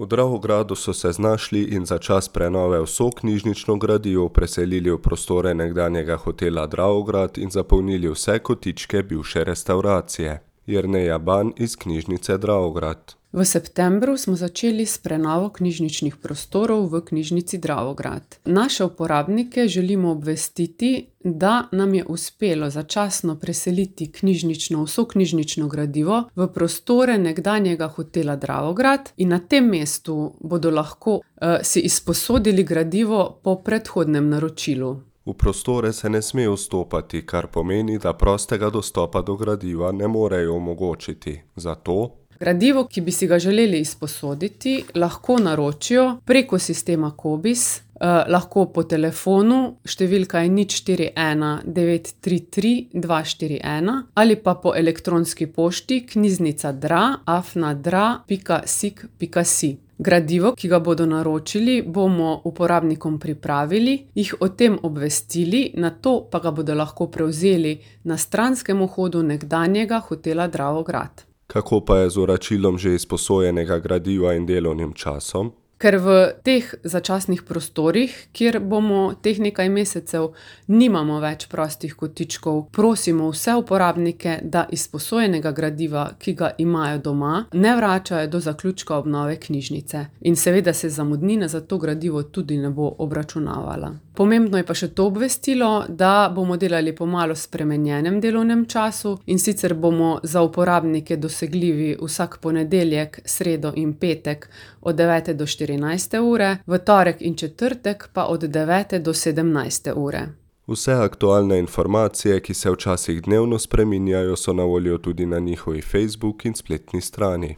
V Dravogradu so se znašli in za čas prenove vso knjižnično gradivo preselili v prostore nekdanjega hotela Dravograd in zapolnili vse kotičke bivše restavracije. Jerneja Ban iz knjižnice Dravograd. V septembru smo začeli s prenovo knjižničnih prostorov v knjižnici Dravograd. Naše uporabnike želimo obvestiti, da nam je uspelo začasno preseliti vso knjižnično gradivo v prostore nekdanjega hotela Dravograd in na tem mestu bodo lahko si izposodili gradivo po predhodnem naročilu. V prostore se ne sme vstopati, kar pomeni, da prostega dostopa do gradiva ne morejo omogočiti. Zato gradivo, ki bi si ga želeli izposoditi, lahko naročijo preko sistema Cobiss, lahko po telefonu, številka je 041 933 241 ali pa po elektronski pošti knjižnica.dra@dra.sik.si. Gradivo, ki ga bodo naročili, bomo uporabnikom pripravili, jih o tem obvestili, nato pa ga bodo lahko prevzeli na stranskem vhodu nekdanjega hotela Dravograd. kako pa je z vračilom že izposojenega gradiva in delovnim časom? Ker v teh začasnih prostorih, kjer bomo teh nekaj mesecev, nimamo več prostih kotičkov, prosimo vse uporabnike, da izposojenega gradiva, ki ga imajo doma, ne vračajo do zaključka obnove knjižnice. In seveda se zamudnina za to gradivo tudi ne bo obračunavala. Pomembno je pa še to obvestilo, da bomo delali po malo spremenjenem delovnem času, in sicer bomo za uporabnike dosegljivi vsak ponedeljek, sredo in petek od 9. do 14. ure, v torek in četrtek pa od 9. do 17. ure. Vse aktualne informacije, ki se včasih dnevno spreminjajo, so na voljo tudi na njihovi Facebook in spletni strani.